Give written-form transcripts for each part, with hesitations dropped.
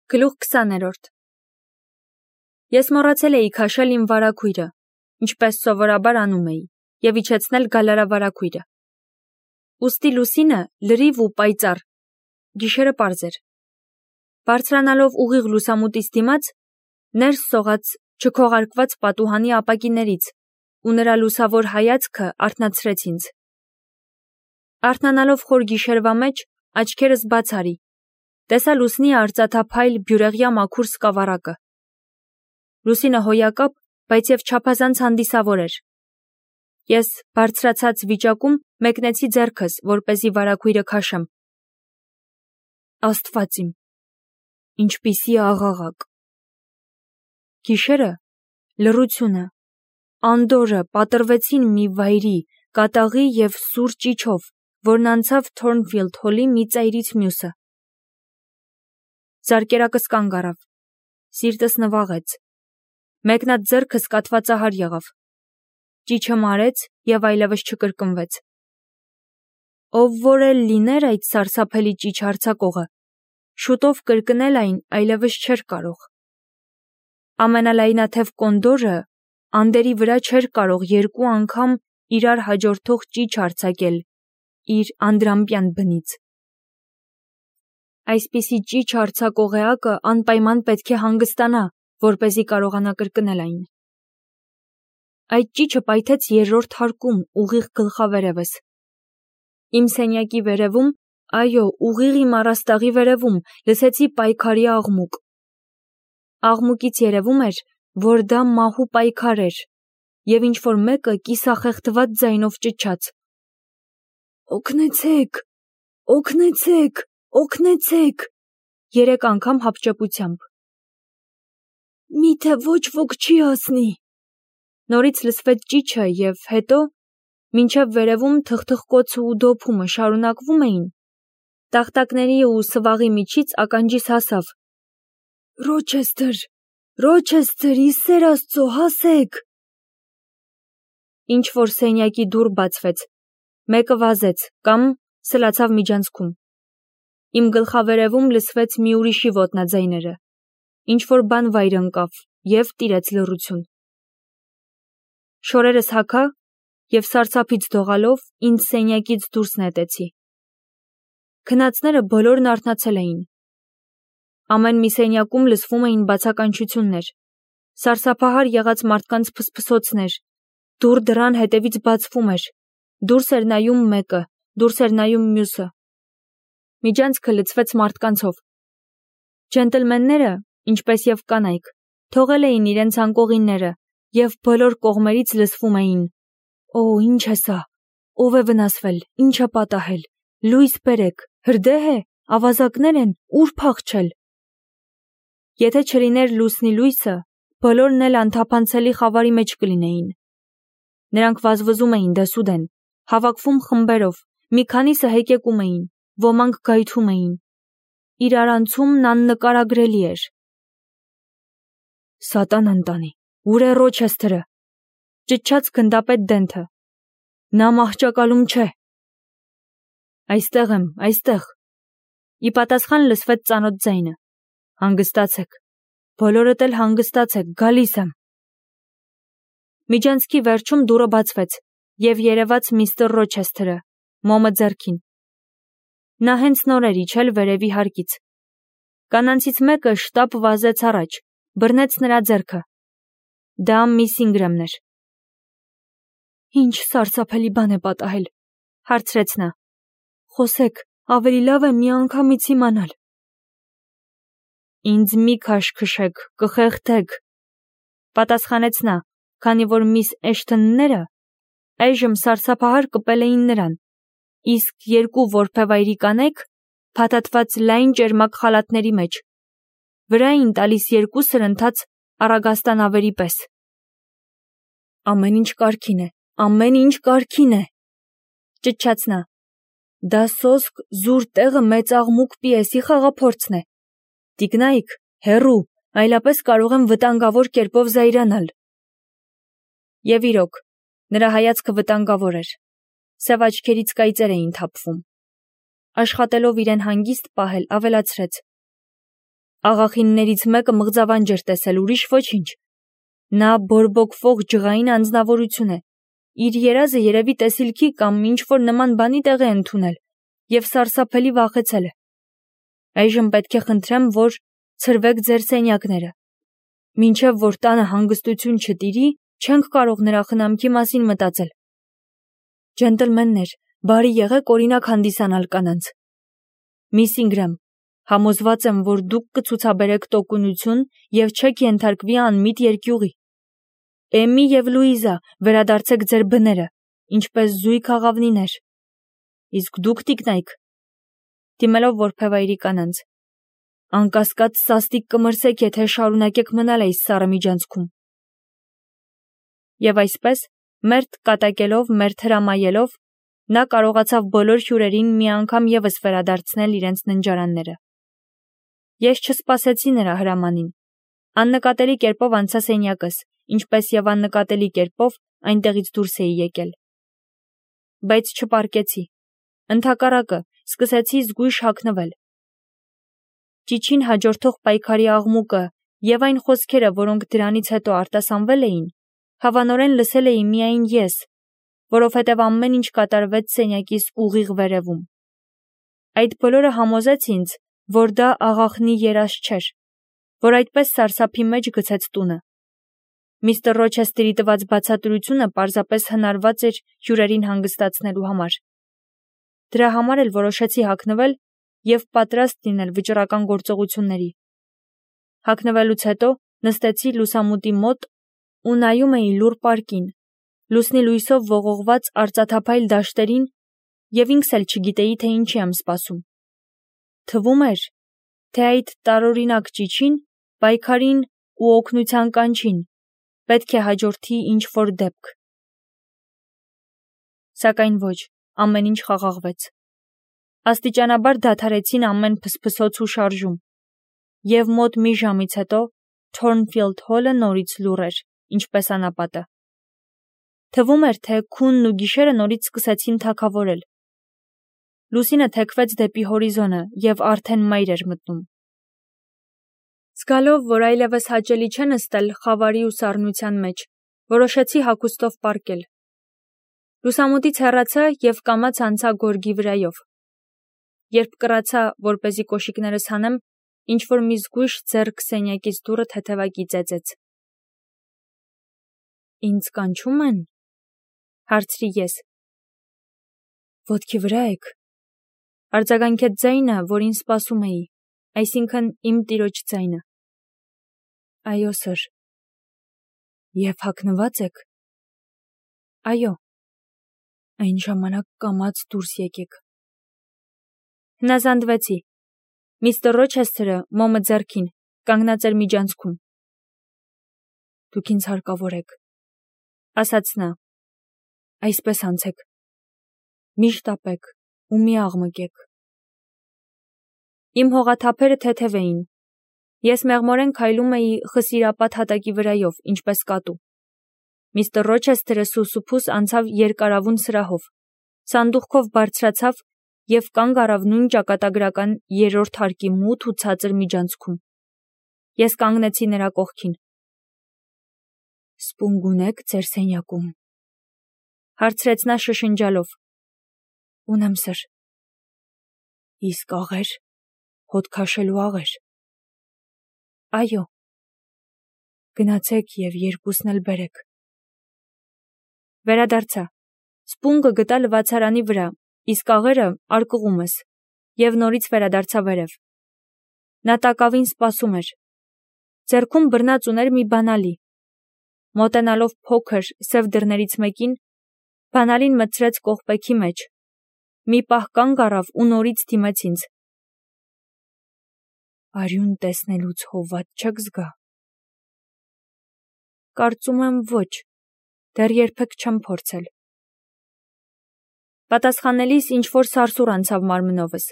Գլուխ 20-րդ Ես մոռացել էի քաշել իմ վարագույրը, ինչպես սովորաբար անում էի, և իջեցնել գալարավարագույրը։ Ուստի լուսինը լրիվ ու պայծառ, գիշերը պարզ էր։ Բարձրանալով ուղիղ լուսամուտից դիմաց, ներս սողաց չքողարկված պատուհանի ապակիներից, ու նրա լուսավոր հայացքը արթնացրեց ինձ։ Արթնանալով խոր գիշերվա մեջ, աչքերս բաց արի, տեսա լուսնի արծաթափայլ բյուրեղյա մաքուր սկավառակը։ Լուսինը հոյակապ, բայց և չափազանց հանդիսավոր էր։ Ես բարձրացած վիճակում մեկնեցի ձեռքս, որպեսզի վարագույրը քաշեմ։ Աստված իմ, ինչպիսի աղաղակ։ Գիշերը, լռությունը, անդորրը պատռվեցին մի վայրի, կատաղի և սուր ճիչով, որն անցավ Թորնֆիլդ Հոլի մի ծայրից մյուսը։ Զարկերակս կանգ առավ, սիրտս նվաղեց, մեկնած ձեռքս կաթվածահար եղավ, ճիչը մարեց և այլևս չկրկնվեց։ Ով որ էլ լիներ այդ սարսափելի ճիչ հարձակողը, շուտով կրկնել այն այլևս չէր կարող։ Ամենալայնաթև կոնդորը անդերի վրա չէր կարող երկու անգամ իրար հաջորդող ճիչ արձակել իր անդրամպյան բնից։ Այսպիսի ճիչ արձակող էակը անպայման պետք է հանգստանա, որպեսզի կարողանա կրկնել այն։ Այդ ճիչը պայթեց երրորդ հարկում, ուղիղ գլխավերևս։ Իմ սենյակի վերևում, այո, ուղիղ իմ առաստաղի վերևում, լսեցի պայքարի աղմուկ։ Աղմուկից երևում էր, որ դա մահու պայքար էր, և ինչ-որ մեկը կիսախեղդված ձայնով ճչաց. «Օգնեցեք, օգնեցեք, օգնեցեք», 3 անգամ հապճեպությամբ։ «Միթե ոչ ոք չի հասնի»։ Նորից լսվեց ճիչը և հետո, մինչև վերևում թխթխկոցը ու դոփումը շարունակվում էին, տախտակների ու սվաղի միջից ականջիս հասավ. «Ռոչեսթր, Ռոչեսթր, ի սեր Աստծո, հասեք»։ Ինչ-որ սենյակի դուռ բացվեց, մեկը վազեց կամ սլացավ միջանցքում։ Իմ գլխավերևում լսվեց մի ուրիշի ոտնաձայները, ինչ-որ բան վայր ընկավ և տիրեց լռություն։ Շորերս հագա և սարսափից դողալով ինձ սենյակից դուրս նետեցի։ Քնածները բոլորն արթնացել էին։ Ամեն մի սենյակում լսվում էին բացականչություններ, սարսափահար եղած մարդկանց փսփսոցներ, դուռ դռան հետևից բացվում էր, դուրս էր նայում մեկը, դուրս էր նայում մյուսը։ Միջանցքը լցվեց մարդկանցով։ Ջենտլմենները, ինչպես և կանայք, թողել էին իրենց անկողինները և բոլոր կողմերից լսվում էին. «Օ, ինչ է սա, ով է վնասվել, ինչ է պատահել, լույս բերեք, հրդե՞հ է, ավազակներ են, ուր փախչել»։ Եթե չլիներ լուսնի լույսը, բոլորն էլ անթափանցելի խավարի մեջ կլինեին։ Նրանք վազվզում էին դեսուդեն, հավաքվում խմբերով, մի քանիսը հեկեկում էին, ոմանք գայթում էին։ Իրար անցումն աննկարագրելի էր։ «Սատան ընտանի, ուր է Ռոչեսթրը», ճչաց գնդապետ Դենթը։ «Նա մահճակալում չէ»։ «Այստեղ եմ, այստեղ»։ Ի պատասխան լսվեց ծանոթ ձայնը. «Հանգստացեք, բոլորդ էլ հանգստացեք, գալիս եմ»։ Միջանցքի վերջում դուռը բացվեց, և երևաց միստր Ռոչեսթրը, մոմը ձեռքին։ Նա հենց նոր էր իջել վերևի հարկից։ Կանանցից մեկը շտապ վազեց առաջ, բռնեց նրա ձեռքը։ Դա միս Ինգրամն էր։ «Ինչ սարսափելի բան է պատահել», հարցրեց նա։ «Խոսեք, ավելի լավ է միանգամից իմանալ»։ «Ինձ մի քաշքշեք, կխեղդեք», պատասխանեց նա, քանի որ միս Էշթոնները այժմ սարսափահար կպել էին նրան, իսկ 2 որբևայրի կանայք փաթաթված լայն ճերմակ խալաթների մեջ, վրա էին տալիս 2 սրընթաց առագաստանավերի պես։ «Ամեն ինչ կարգին է, ամեն ինչ կարգին է», ճչաց նա։ «Դա սոսկ զուր տեղը մեծ աղմուկ պիեսի խաղափորձն է։ Տիկնայք, հեռու, այլապես կարող եմ վտանգավոր կերպով զայրանալ»։ Եվ իրոք, նրա հայացքը վտանգավոր էր։ Սև աչքերից կայծեր էին թափվում։ Աշխատելով իրեն հանգիստ պահել, ավելացրեց. Աղախիններից մեկը մղձավանջ էր տեսել, ուրիշ ոչինչ։ Նա բորբոքվող ջղային անձնավորություն է։ Իր երազը երևի տեսիլքի կամ ինչ-որ նման բանի տեղ է ընդունել և սարսափելի վախեցել է։ Այժմ պետք է խնդրեմ, որ ցրվեք ձեր սենյակները։ Մինչև որ տանը հանգստություն չտիրի, չենք կարող նրա խնամքի մասին մտածել։ Ջենտլմեններ, բարի եղեք օրինակ հանդիսանալ կանանց։ Միս Ինգրամ, համոզված եմ, որ դուք կցուցաբերեք տոկունություն և չեք ենթարկվի անմիտ երկյուղի։ Էմի և Լուիզա, վերադարձեք ձեր բները, ինչպես զույգ աղավնիներ։ Իսկ դուք տիկնայք, դիմելով որբևայրի կանանց, անկասկած սաստիկ կմրսեք, եթե շարունակեք մնալ այս սառը միջանցքում։ Եվ այսպես, մերթ կատակելով, մերթ հրամայելով, նա կարողացավ բոլոր հյուրերին մի անգամ ևս վերադարձնել իրենց ննջարանները։ Ես չսպասեցի նրա հրամանին։ Աննկատելի կերպով անցա սենյակս, ինչպես եւ աննկատելի կերպով այնտեղից դուրս էի եկել։ Բայց չպարկեցի։ Ընդհակառակը, սկսեցի զգույշ հագնվել։ Ճիչին հաջորդող պայքարի աղմուկը եւ այն խոսքերը, որոնք դրանից հետո արտասանվել էին, հավանորեն լսել էի միայն ես, որովհետև ամեն ինչ կատարվեց սենյակիս ուղիղ վերևում։ Այդ բոլորը համոզեց ինձ, որ դա աղախնի երազ չէր, որ այդպես սարսափի մեջ գցեց տունը։ Միստր Ռոչեսթերի տված բացատրությունը պարզապես հնարված էր հյուրերին հանգստացնելու համար։ Դրա համար էլ որոշեցի հագնվել և պատրաստ լինել վճռական գործողությունների։ Հագնվելուց հետո նստեցի լուսամուտի մոտ ու նայում էի լուռ պարկին, լուսնի լույսով ողողված արծաթափայլ դաշտերին և ինքս էլ չգիտեի, թե ինչի եմ սպասում։ Թվում էր, թե այդ տարօրինակ ճիչին, պայքարին ու օգնության կանչին պետք է հաջորդի ինչ-որ դեպք։ Սակայն ոչ, ամեն ինչ խաղաղվեց։ Աստիճանաբար դադարեցին ամեն փսփսոց ու շարժում, և մոտ մի ժամից հետո Թորնֆիլդ Հոլը նորից լուռ էր, ինչպես անապատը։ Թվում էր, թե քունն ու գիշերը նորից սկսեցին թագավորել։ Լուսինը թեքվեց դեպի հորիզոնը և արդեն մայր էր մտնում։ Զգալով, որ այլևս հաճելի չէ նստել խավարի ու սառնության մեջ, որոշեցի հագուստով պառկել։ Լուսամուտից հեռացա և կամաց անցա գորգի վրայով։ Երբ կռացա, որպեսզի կոշիկներս հանեմ, ինչ-որ մի զգույշ ձեռք սենյակից դուռը թեթևակի ծեծեց։ Ինձ կանչում են, հարցրի ես։ Ոտքի վրա եք, արձագանքեց ձայնը, որին սպասում էի, այսինքն իմ տիրոջ ձայնը։ Այո, սըր։ Եվ հագնվա՞ծ եք։ Այո։ Այն ժամանակ կամաց դուրս եկեք։ Հնազանդվեցի։ Միստր Ռոչեսթերը, մոմը ձեռքին, կանգնած էր միջանցքում։ Դուք ինձ հարկավոր եք, ասաց նա։ Այսպես անցեք։ Մի շտապեք ու մի աղմկեք։ Իմ հողաթափերը թեթև էին։ Ես մեղմորեն քայլում էի խսիրապատ հատակի վրայով, ինչպես կատու։ Միստր Ռոչեսթերը սուսուփուս անցավ երկարավուն սրահով, սանդուղքով բարձրացավ և կանգ առավ նույն ճակատագրական երրորդ հարկի մութ ու ցածր միջանցքում։ Ես կանգնեցի նրա կողքին։ Սպունգ ունե՞ք ձեր սենյակում, հարցրեց նա շշնջալով։ Ունեմ, սըր։ Իսկ աղեր, հոտ քաշելու աղեր։ Այո։ Գնացեք և երկուսն էլ բերեք։ Վերադարձա։ Սպունգը գտա լվացարանի վրա, իսկ աղերը արկղումս, և նորից վերադարձա վերև։ Նա տակավին սպասում էր։ Ձեռքում բռնած ուներ մի բանալի։ Մոտենալով փոքր, սև դռներից մեկին, բանալին մտցրեց կողպեքի մեջ։ Մի պահ կանգ առավ ու նորից դիմեց ինձ։ Արյուն տեսնելուց հովատ չեք զգա։ Կարծում եմ ոչ, դեռ երբեք չեմ փորձել։ Պատասխանելիս ինչ-որ սարսուռ անցավ մարմնովս,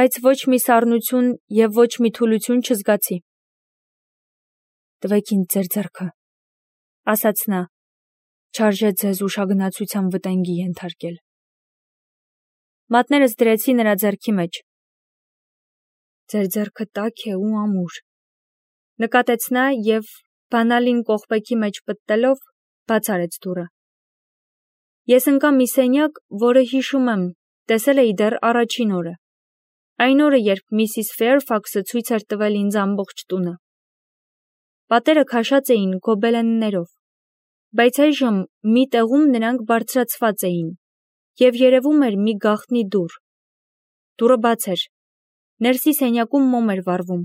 բայց ոչ մի սառնություն և ոչ մի թուլություն չզգացի։ Տվեք ինձ ձեր ձեռքը, ասաց նա, չարժե ձեզ ուշագնացության վտանգի ենթարկել։ Մատներս դրեցի նրա ձեռքի մեջ։ Ձեր ձեռքը տաք է ու ամուր։ Նկատեց նա և բանալին կողպեքի մեջ պտտելով բաց արեց դուռը։ Ես ընկա մի սենյակ, որը հիշում եմ, տեսել էի դեռ առաջին օրը։ Այն օրը, երբ Միսիս Ֆեյրֆաքսը ցույց էր տվել ինձ ամբողջ տունը։ Պատերը քաշած էին գոբելեններով, բայց այժմ մի տեղում նրանք բարձրացված էին, և երևում էր մի գաղտնի դուռ։ Դուռը բաց էր։ Ներսի սենյակում մոմ էր վառվում։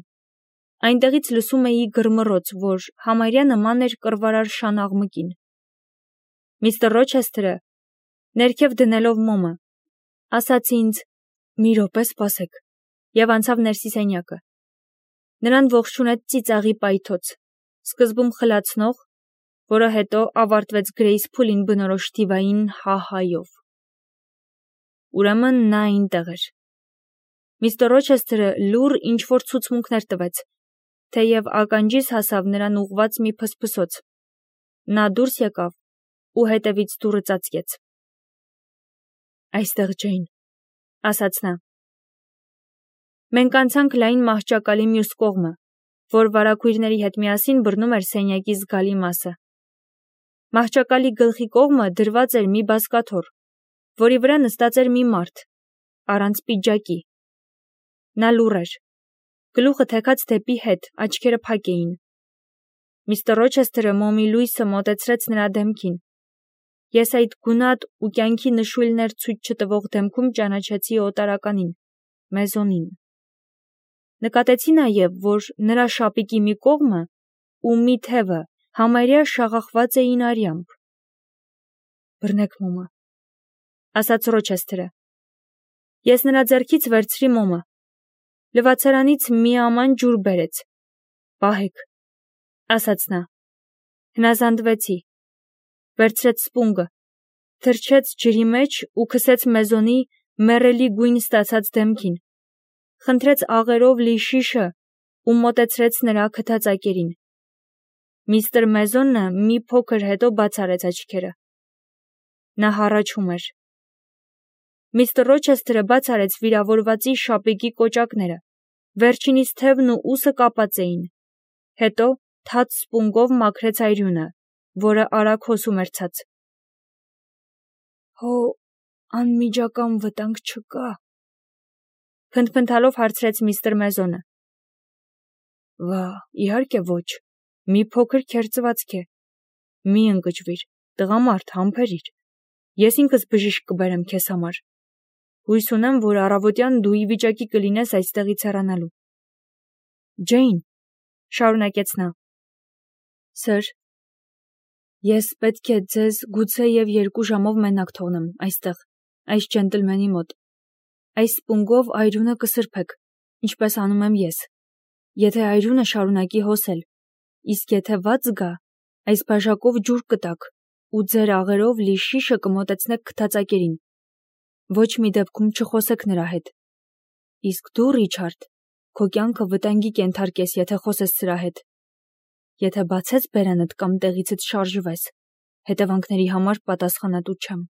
Այնտեղից լսում էի գրմռոց, որ համարյա նման էր կռվարար շան աղմկին։ Միստր Ռոչեսթերը, ներքև դնելով մոմը, ասաց ինձ. «Մի րոպե սպասեք», և անցավ ներսի սենյակը։ Նրան ողջունեց ծիծաղի պայթոց, սկզբում խլացնող, որը հետո ավարտվեց Գրեյսփուլին բնորոշ թիվային հա-հայով։ Ուրեմն նա այնտեղ էր։ Միստր Ռոչեսթերը լուռ ինչ-որ ցուցմունքներ տվեց, թեև ականջիս հասավ նրան ուղղված մի փսփսոց։ Նա դուրս եկավ ու հետևից դուռը ծածկեց։ «Այստեղ, Ջեյն», ասաց նա։ Մենք անցանք լայն մահճակալի մյուս կողմը, որ վարագույրների հետ միասին բռնում էր սենյակի զգալի մասը։ Մահճակալի գլխի կողմը դրված էր մի բազկաթոռ, որի վրա նստած էր մի մարդ, առանց պիջակի։ Նա լուռ էր, գլուխը թեքած դեպի հետ, աչքերը փակ էին։ Միստր Ռոչեսթերը մոմի լույսը մոտեցրեց նրա դեմքին։ Ես այդ գունատ ու կյանքի նշույլներ ցույց չտվող դեմքում ճանաչեցի օտարականին, Մեզոնին։ Նկատեցի նաև, որ նրա շապիկի մի կողմը ու մի թևը համարյա շաղախված էին արյամբ։ «Բռնեք մոմը», ասաց Ռոչեսթերը։ Ես նրա ձեռքից վերցրի մոմը։ Լվացարանից մի աման ջուր բերեց։ «Պահեք», ասաց նա։ Հնազանդվեցի։ Վերցրեց սպունգը, թռչեց ջրի մեջ ու քսեց Մեզոնի մեռելի գույն ստացած դեմքին, խնդրեց աղերով լի շիշը ու մոտեցրեց նրա քթածակերին։ Միստր Մեզոնը մի փոքր հետո բաց արեց աչքերը։ Նա հառաչում էր։ Միստր Ռոչեսթերը բաց արեց վիրավորվածի շապիկի կոճակները, վերջինիս թևն ու ուսը կապած էին, հետո թաց սպունգով մաքրեց այրյունը, որը արագ հոսում էր ցած։ «Հո անմիջական վտանգ չկա», փնթփնթալով հարցրեց միստր Մեզոնը։ «Վա, իհարկե ոչ, մի փոքր քերծվածք է։ Մի ընկճվիր, տղամարդ, համբերիր, ես ինքս բժիշկ կբերեմ քեզ համար։ Հույս ունեմ, որ առավոտյան դու ի վիճակի կլինես այստեղից հեռանալու»։ «Ջեյն», շարունակեց նա։ «Սըր, ես պետք է ձեզ գուցեև 2 ժամով մենակ թողնեմ այստեղ, այս ջենտլմենի մոտ։ Այս սպունգով այրունը կսրբեք, ինչպես անում եմ ես, եթե այրունը շարունակի հոսել, իսկ եթե վատ զգա, այս բաժակով ջուր կտաք ու ձեր աղերով լի շիշը կմոտեցնեք քթածակերին։ Ոչ մի դեպքում չխոսեք նրա հետ։ Իսկ դու, Ռիչարդ, քո կյանքը վտանգի կենթարկես, եթե խոսես սրա հետ։ Եթե բացես բերանդ կամ տեղիցդ շարժվես, հետևանքների համար պատասխանատու չեմ»։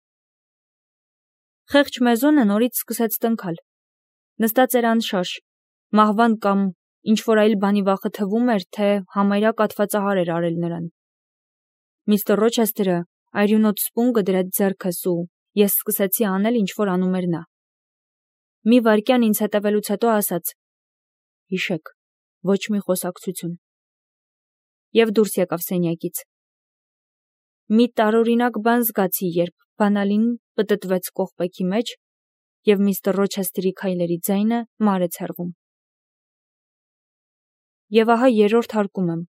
Խեղճ Մեզոնը նորից սկսեց տնքալ։ Նստած էր անշարժ, մահվան կամ ինչ-որ այլ բանի վախը թվում էր, թե համարյա կաթվածահար էր արել նրան։ Միստր Ռոչեսթերը այրյունոտ սպունգը դրեց ձեռքս ու ես սկսեցի անել, ինչ-որ անում էր նա։ Մի վայրկյան ինձ հետևելուց հետո ասաց. «Հիշեք, ոչ մի խոսակցություն»։ Եվ դուրս եկավ սենյակից։ Մի տարօրինակ բան զգացի, երբ բանալին պտտվեց կողպեքի մեջ և միստր Ռոչեսթերի քայլերի ձայնը մարեց հեռվում։ Եվ ահա 3-րդ հարկում եմ,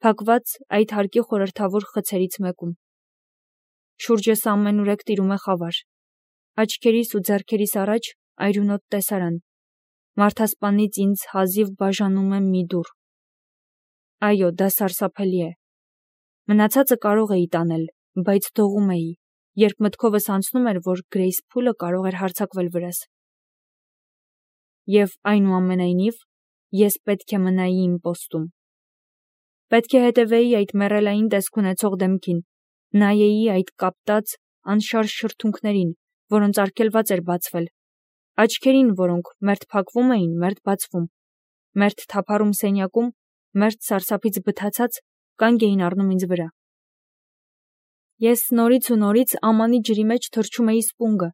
փակված այդ հարկի խորհրդավոր խցերից մեկում։ Շուրջս ամենուրեք տիրում է խավար։ Աչքերիս ու ձեռքերիս առաջ այրունոտ տեսարան։ Մարդասպանից ինձ հազիվ բաժանում է մի դուռ։ Այո, դա սարսափելի է։ Մնացածը կարող էի տանել, բայց դողում էի, երբ մտքովս անցնում էր, որ Գրեյսփուլը կարող էր հարձակվել վրաս։ Եվ այնուամենայնիվ, ես պետք է մնայի իմ պոստում։ Պետք է հետևեի այդ մեռելային տեսք ունեցող դեմքին, նայեի այդ կապտած, անշարժ շրթունքներին, որոնց արգելված էր բացվել, աչքերին, որոնք մերթ փակվում էին, մերթ բացվում, մերթ թափառում սենյակում, մերթ սարսափից բթացած, կանգ էին առնում ինձ վրա։ Ես նորից ու նորից ամանի ջրի մեջ թռչում էի սպունգը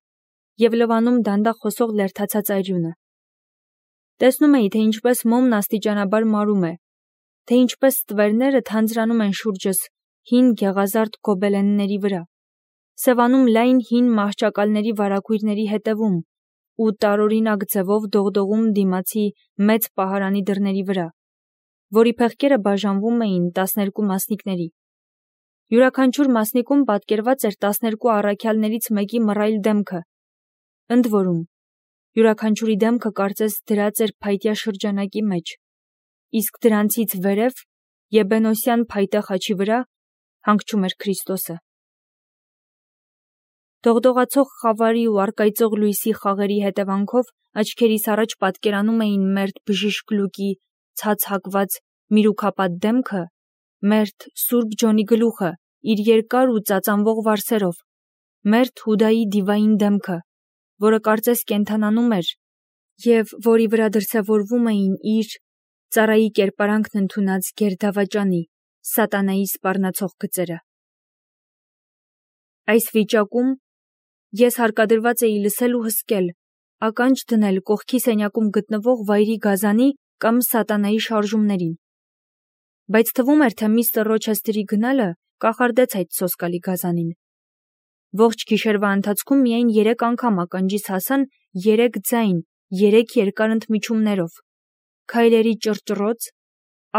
և լվանում դանդաղ խոսող լերդացած այրյունը։ Տեսնում էի, թե ինչպես մոմն աստիճանաբար մարում է, թե ինչպես ստվերները թանձրանում են շուրջս հին գեղազարդ գոբելենների վրա, սևանում լայն հին մահճակալների վարագույրների հետևում ու տարօրինակ ձևով դողդողում դիմացի մեծ պահարանի դռների վրա, որի փեղկերը բաժանվում էին 12 մասնիկների։ Յուրաքանչյուր մասնիկում պատկերված էր 12 առաքյալներից մեկի մռայլ դեմքը, ընդ որում յուրաքանչյուրի դեմքը կարծես դրած էր փայտյա շրջանակի մեջ, իսկ դրանցից վերև եբենոսյան փայտե խաչի վրա հանգչում էր Քրիստոսը։ Դողդողացող խավարի ու առկայծող լույսի խաղերի հետևանքով աչքերիս առաջ պատկերանում էին մերթ բժիշկ Լուկի ցած հակված միրուքապատ դեմքը, մերթ Սուրբ Ջոնի գլուխը իր երկար ու ծածանվող վարսերով, մերթ Հուդայի դիվային դեմքը, որը կարծես կենդանանում էր և որի վրա դրսևորվում էին իր ծառայի կերպարանքն ընդունած գերդավաճանի, սատանայի սպառնացող գծերը։ Այս վիճակում ես հարկադրված էի լսել ու հսկել, ականջ դնել կողքի սենյակում գտնվող վայրի գազանի կամ սատանայի շարժումներին։ Բայց թվում էր, թե միստր Ռոչեսթերի գնալը կախարդեց այդ սոսկալի գազանին։ Ողջ գիշերվա ընթացքում միայն 3 անգամ ականջիս հասան 3 ձայն, 3 երկար ընդմիջումներով, քայլերի ճռճռոց,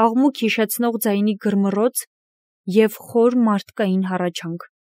աղմուկ հիշեցնող ձայնի գրմռոց և խոր մարդկային հառաչանք։